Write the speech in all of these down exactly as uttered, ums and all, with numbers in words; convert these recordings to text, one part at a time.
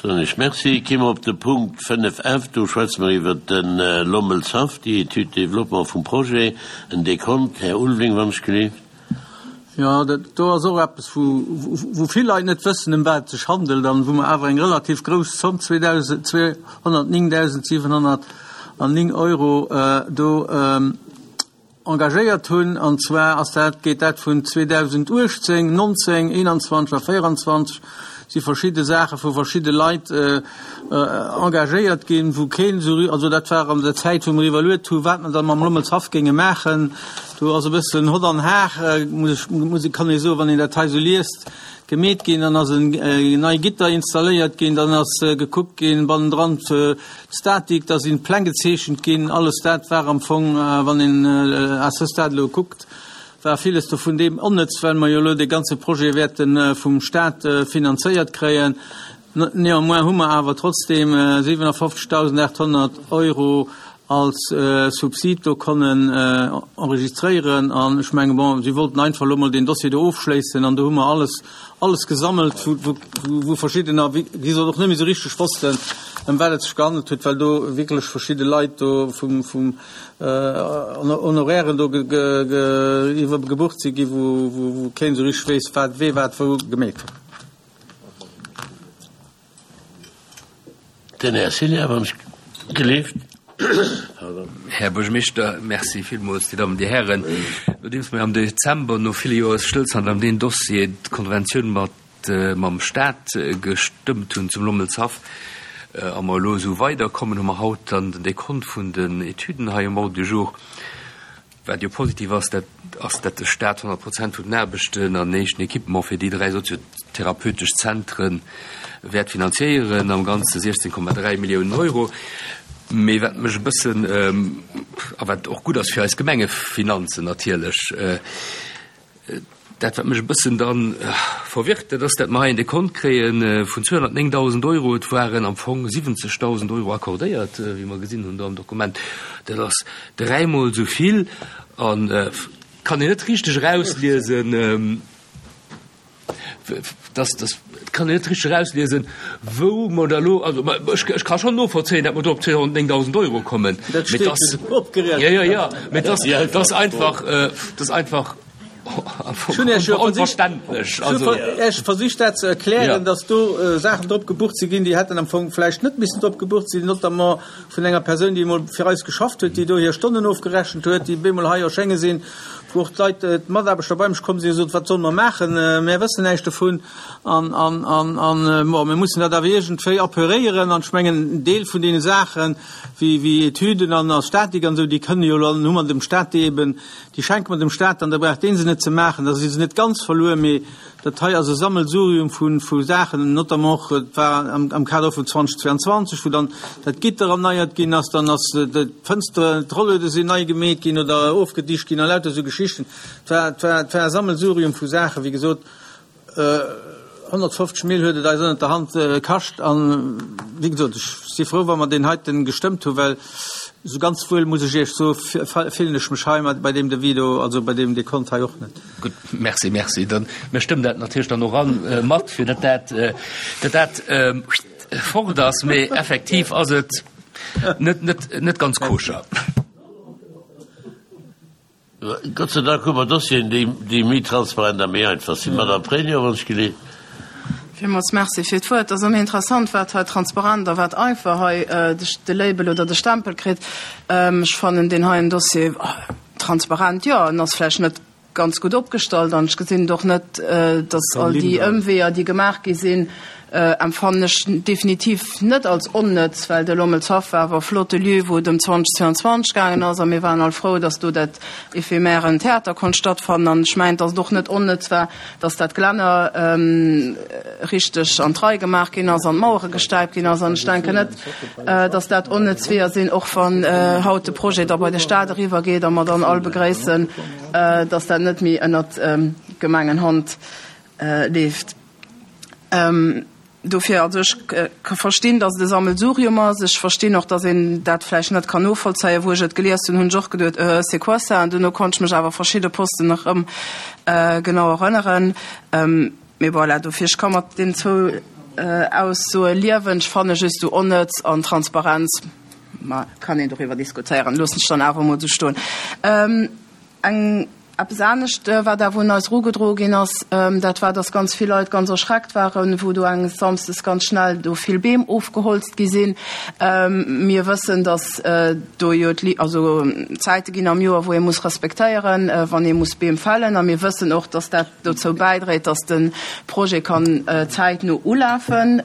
Soen ech Merci. Ki mer op de Punkt fënnef F. Do schwätze mer iwwert de Lommelshaff, déi Étude de développement vum Projet, en Dekont. Här Ulveling, wann ech gelift. Jo, dat do ass och eppes, wou, wou vill Leit net wëssen, ëm wat et sech handelt, an wou mer awer eng relativ grouss Zomm, zweehonnertnéngdausendsiwenhonnertneng Euro, do engagéiert hunn. An zwar ass dat, geet dat vun zweedausenduechtzéng, nonzéng, eenanzwanzeg a véieranzwanzeg, si verschidde Saache vu verschidde Leit engagéiert ginn, wou keen esou, also dat war an der Zäit, wou mer iwwerluet hu wat mer da mam Lommelshaff géinge maachen. Do ass e bëssen Hott an Har, muss ech, muss, kann ee soen, wann een dat hei esou liest, gemeet ginn. Dann ass en nei Gitter installéiert ginn, dann ass gekuckt ginn bannendran d'Statik, da sinn d'Pläng gezeechent ginn. Alles dat war am Fong, wann een à ce stade elo kuckt, war villes dovun deem onnëtz, well mer jo elo dee ganze Projet wäerte vum Staat finanzéiert kréien. Néanmoins hu mer awer trotzdeem siwenafofzegdausendachthonnert Euro als Subsid do konnen enregistréieren. An ech menge, bon, si wollten einfach elo mol deen Dossier do ofschléissen an do hu mer alles, alles gesammelt, wou, wou, wou verschiddener, wéi gesot, och net méi esou richteg wossten, ëm wat et sech gehandelt huet, well do wierklech verschidde Leit do vum, vum Honorairen do iwwer gebucht si gi, wou, wou, wou keen esou richteg weess, wat, wee wat wou gemeet huet. Den Här Cilla, wann ech gelift. Här Buergermeeschter, merci villmools, Dir Dammen, Dir Hären. Nodeems mir am Dezember no ville Joer Stëllstand an deem Dossier d'Konventioun mat mam Staat gestëmmt hunn zum Lommelshaff a mer elo esou weiderkommen, hu mer haut dann den Dekont vun den Etüden hei um Ordre du jour. Wat jo positiv ass, dat ass, dat de Staat honnert Prozent vun den Aarbechten an éischten Equipement fir déi dräi soziotherapeutesch Zentren wäert finanziéieren, am Ganze siechzéng Komma dräi Milliounen Euro. Mee wat mech e bëssen, a wat och gutt ass fir eis Gemengefinanzen natierlech, dat wat mech e bëssen dann verwirrt, dat ass, dat mer hei en Dekont kréie vun zweehonnertnéngdausend Euro. Et waren am Fong siwwenzegdausend Euro accordéiert, wéi mer gesinn hunn do am Dokument. Dat ass dräimol esou vill an kann een net richteg erausliesen, dass, dass, kann een net richteg erausliesen, wou mer da elo, also ech, ech ka schonn novollzéien, datt mer do op zweehonnertnéngdausend Euro kommen. Dat steet opgerechent. Ja, ja, ja, mee dass, dass einfach, dass einfach onverständlech. Also ech versicht dat ze erklären, dass do Saachen drop gebucht si ginn, déi hätten am Fong vläicht net missen drop gebucht sinn, notamment vun enger Persoun, déi emol fir eis geschafft huet, déi do hir Stonnen ofgerechent huet, déi bemol hei erschénge sinn, wou och d'Leit, d'Mataarbechter bei mech komm sinn a gesot, wat solle mer maachen, mär wëssen näischt dovun an, an, an, an bon, mir mussen dat awer iergendwéi apuréieren. An ech mengen, en Deel vun deene Saachen, wéi, wéi Etüden an a Statik an esou, déi kënne jo elo, hu mer dem Stat déi eben, déi schenke mer dem Stat dann, da brauch dee se net ze maachen, da si se net ganz verluer, mee dat hei ass e Sammelsurium vu, vu Saachen, notamment och, et war am, am Kader vun zweitausendzweiundzwanzeg, wou dann dat Gitter erneiert ginn ass, dann ass d'Fënstere, d'Rolluede sinn nei gemeet ginn oder ofgedicht ginn a lauter esou Geschichten. Et war, et war, et war e Sammelsurium vu Saachen, wéi gesot, honnertfofzeg Mille huet et eis ënnert der Hand kascht an, wéi gesot, ech si frou, wa mer deen heiten gestëmmt hu, well esou ganz wuel, muss ech Iech soen, fillen ech mech hei bei deem Devis do, also bei deem Dekont hei och net. Gutt, merci, merci. Dann, mir stëmmen dat natierlech dann och an mat, fir datt dat, datt dat fort ass, mee effektiv ass et net, net, net ganz koscher. Gott sei Dank hu mer Dossieren, déi, déi méi transparent a méi einfach sinn. Madame Pregno, wann ech gelift. Villmools Merci fir d'Wuert. Et ass ëmmer interessant, wat hei transparent a wat einfach hei de Label oder de Stempel kritt. Ech fannen deen heien Dossier transparent, jo, en ass vläicht net ganz gutt opgestallt an ech gesinn et och net, dass all déi Ëmweeër, déi gemaach gi sinn, empfannen ech definitiv net als onnëtz, well de Lommelshaff war awer e flotte Lieu, wou et ëm zweitausendzweiundzwanzeg gaangen ass a mir waren all frou, dass do dat éphémèren Theater konnt stattfannen. An ech mengen, dass et och net onnëtz war, dass dat Gelänner richteg an d'Rei gemaach ginn ass an d'Mauere gestäipt ginn ass. An ech denken net, dass dat onnëtz Weeër sinn, och wann haut de Projet da bei de Stat eriwwergeet a mer dann all begréissen, dass dat net méi ënnert Gemengenhand leeft. Dofir, also ech ka verstinn, dass et e Sammelsurium ass. Ech verstinn och, dass een dat vläicht net kann novollzéien. Wou ech et gelies hunn, hunn ech och geduet, euh, c'est quoi ça? An duerno konnt ech mech awer verschidde Posten nach erëm genau erënneren. Mee voilà, dofir, ech ka mat deenen zwou Aussoe liewen. Ech fanne just do onnëtz an Transparenz, ma kann een doriwwer diskutéieren, loossen ech dann awer emol esou stoen. Eng Eppes anescht, wat awer un eis erugedroe ginn ass, dat war, dass ganz vill Leit ganz erschreckt waren, wou do enges Samsdes ganz schnell do vill Beem ofgeholzt gi sinn. Mir wëssen, dass do jo also Zäite ginn am Joer, wou ee muss respektéieren, wann ee muss Beem fällen. A mir wëssen och, dass dat dozou bäidréit, dass de Projet kann zäitno ulafen.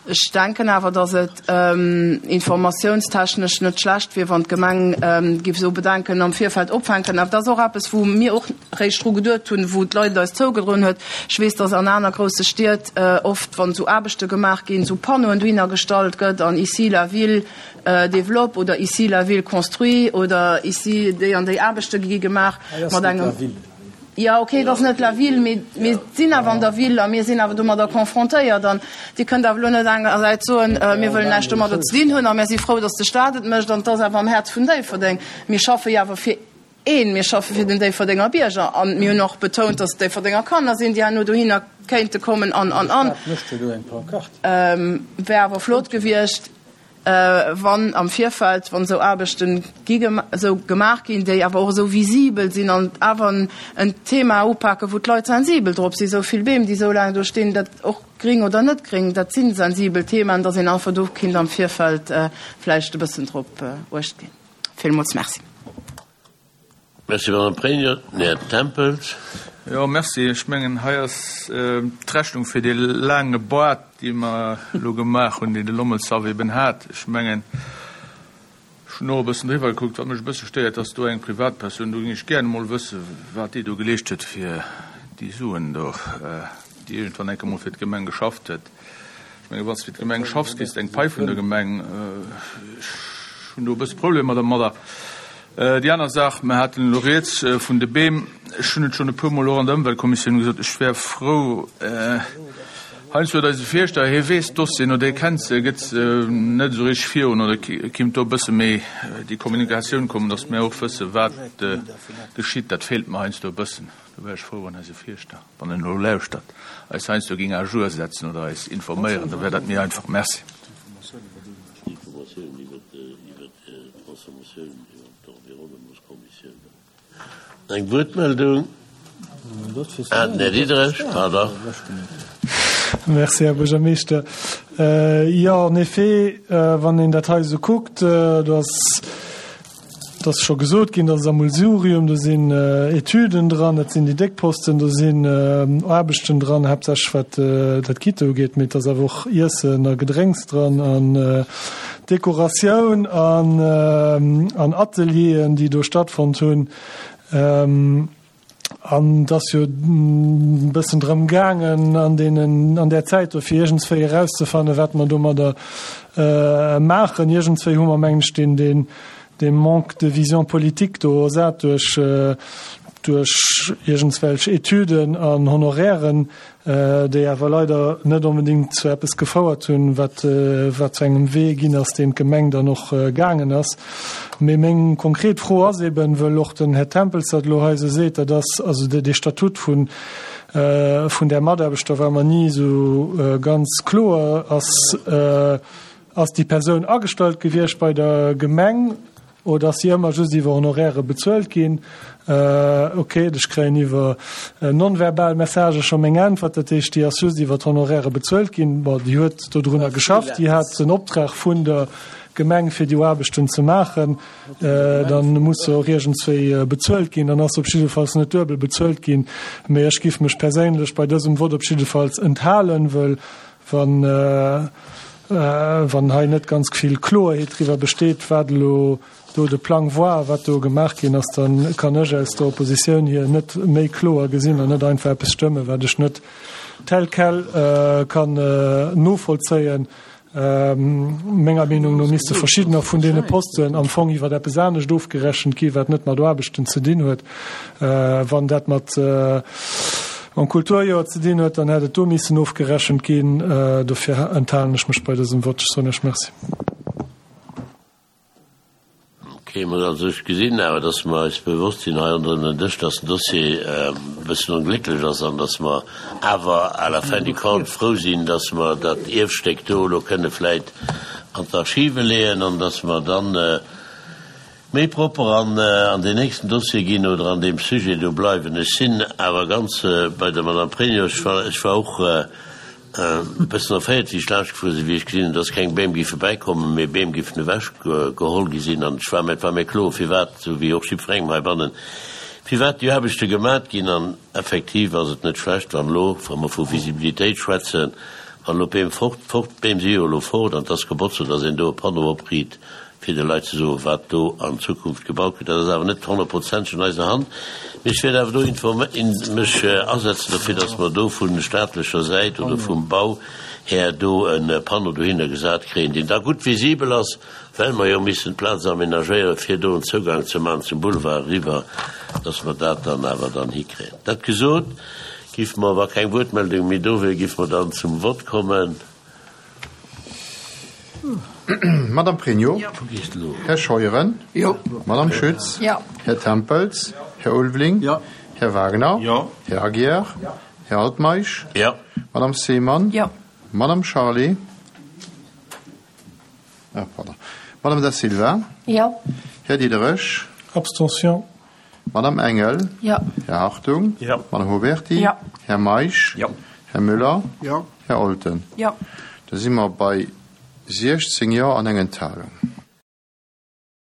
Ech denken awer, dass et informatiounstechnesch net schlecht wier, wann d'Gemeng géif esou Bedenken am Virfeld opfänken. Awer dat ass och eppes, wou mir och réischt dru geduet hunn, wou d'Leit et eis zougedroen huet. Ech weess, dass an aner grousse Stied oft, wann esou Aarbechte gemaach ginn, esou Panneauen dohinner gestallt gëtt an ici la ville développe oder ici la ville construit oder ici déi an déi Aarbechte gi gemaach mat engem. Jo, okay, et ass net la ville, mee mir sinn awer an der Ville a mir sinn awer domadder confrontéiert. An Dir kënnt awer elo net engersäits soen, mir wëllen näischt domadder ze dinn hunn a mir si frou, datt de Stat et mécht an et ass awer am Häerz vun Déifferdeng. Mir schaffe jo awer fir een, mir schaffe fir den Déifferdenger Bierger a mir hunn och betount, datt et Déifferdenger Kanner sinn, déi herno dohinner kéinte kommen an, an, an. Wär awer flott gewiescht. Wann am Virfeld, wann esou Aarbechte gi esou gemaach ginn, déi awer och esou visibel sinn an awer en Thema upaken, wou d'Leit sensibel drop sinn, esou vill Beem, déi esou laang do stinn, dat och gring oder net gring, dat si sensibel Themaen, dass een einfach do kinnt am Virfeld vläicht e bëssen drop uecht ginn. Villmools Merci. Merci, Madame Pregno. Den Här Tempels. Jo, merci. Ech mengen, hei ass d'Rechnung fir dee laange Boart, déi mer elo gemaach hunn, deen de Lommelshaff eben hat. Ech mengen, ech hunn och e bëssen driwwer gekuckt. Wat mech e bësse stéiert, dass do eng Privatpersoun, do géing ech gären emol wëssen, wat déi do geleescht huet fir déi Suen do, déi iergendwann enke mol fir d'Gemeng geschafft huet. Ech mengen, wann s de fir d'Gemeng schaffs, kriss de eng Pai vun der Gemeng. Ech hunn do e bësse Problemer dermadder. Déi aner Saach, mer haten elo rieds vun de Beem. Ech hunn et schonn e puermol och an der Ëmweltkommissioun gesot, ech wär frou, heiansdo huet eise Fierschter, hie weess d'Dossieren oder hie kennt se, gëtt se net esou richteg virun oder kinnt do e bësse méi déi Kommunikatioun kommen, datt mir och wësse wat geschitt. Dat feelt mer heiansdo e bëssen. Do wär ech frou, wann eise Fierschter, wann en elo lauschtert, eis heiansdo géing à jour setzen oder eis informéieren, da wär dat méi einfach. Merci. Eng Wuertmeldung? Ah, den Här Diderich, pardon. Merci, Här Buergermeeschter. Jo, en effet, wann een dat hei esou kuckt, do ass, et ass scho gesot ginn, dat ass Sammelsurium, do sinn Etüden dran, dat sinn déi déck Posten, do sinn Aarbechten dran, haaptsächlech wat dat Gitter ugeet, mee et ass awer och Iessen a Gedrénks dran an Dekoratioun an Atelieren, déi do stattfonnt hunn. An et ass jo e bëssen drëm gaangen an deenen, an där Zäit do, fir iergendswéi erauszefannen, wat mer domadder maachen. Iergendswéi hu mer, mengen ech, deen, deen, dee Manque de vision politique do ersat duerch, duerch iergendswelch Etüden an Honorairen, déi awer leider net onbedéngt zu eppes gefouert hunn, wat, wat zu engem Wee ginn ass, deen d'Gemeng dann och gaangen ass. Mee meng konkret Fro ass eben, wëll och den Här Tempels dat elo hei esou seet, dat ass also dee Statut vun, vun där Mataarbechter war mer ni esou ganz kloer, ass, ass déi Persoun agestallt gewiescht bei der Gemeng oder ass si ëmmer just iwwer Honoraire bezuelt ginn? Ok, ech kréien iwwer non-verbal Messagë scho meng Äntwert, dat heescht, déi ass just iwwer d'Honoraire bezuelt ginn. Bon, déi huet dodrunner geschafft, déi hat den Optrag vun der Gemeng, fir déi Aarbechten ze maachen. Dann muss se och iergendswéi bezuelt ginn. Dann ass se op jiddefalls net duebel bezuelt ginn. Mee ech giff mech perséinlech bei dësem Vott op jiddefalls enthalen, wëll wann, wann hei net ganz vill Kloerheet driwwer besteet, wat elo do de Plang war, wat do gemaach ginn ass, da kann ech aus der Oppositioun hier net méi kloer gesinn an net einfach eppes stëmmen, wat ech net tel quel kann novollzéien. Menger Meenung no misste verschiddener vun deene Posten am Fong iwwer eppes anescht ofgerechent ginn, wat net mat Aarbechten ze dinn huet. Wann dat mat mam Kulturjoer ze dinn huet, dann hätt et do missen ofgerechent ginn. Dofir enthalen ech mech bei dësem Vott. Ech soen Iech Merci. Okay, mer also ech gesinn awer, dass mer eis bewosst sinn hei ronderëm den Dësch, dass den Dossier e bëssen onglécklech ass an dass mer awer à la fin du compte frou sinn, dass mer dat Ierfstéck do elo kënne vläit an d'Archive leeën an dass mer dann méi propper an an deen nächsten Dossier ginn oder an deem Sujet do bleiwen. Ech sinn awer ganz bei der Madame Pregno. Ech war, ech war och e bëssen erféiert, wéi ech laanscht gefuer sinn, wéi ech gesinn hunn, dass keng Beem géife bäikommen, mee Beem géifen ewech geholl gi sinn. An ech war mir, et war mir kloer, firwat, esou wéi och jiddwerengem heibannen, firwat déi Aarbechte gemat ginn. An effektiv ass et net schlecht, wann elo, wa mer vu Visibilitéit schwätzen, wann elo d'Beem fort, fort, d'Beem si jo elo fort an et ass gebotzt, dass een do e Panneau opriit, fir de Leit ze soen, wat do an Zukunft gebaut gëtt. Dat ass awer net honnertprozenteg an eiser Hand. Mee ech wäert awer do mech asetzen dofir, dass mer do vu staatlecher Säit oder vum Bau här do e Panneau dohinner gesat kréien, deen da gutt visibel ass, well mer jo missen d'Plaz aménagéieren, fir do en Zougang ze maachen zum Boulevard eriwwer, dass mer dat dann awer dann hikréien. Dat gesot, géife mer, wa keng Wuertmeldung méi do wier, géife mer dann zum Vott kommen. Madame Pregno. Här Scheuren. Madame Schütz. Här Tempels. Här Ulveling. Här Wagner. Här Aguiar. Här Altmeisch. Madame Seemann. Madame Charlé. Ah, pardon. Madame Da Silva. Här Diderich. Abstention. Madame Engel. Här Hartung. Madame Huberty. Här Meisch. Här Müller. Här Olten. Da si mer bei siechzéng Jo an eng Enthalung.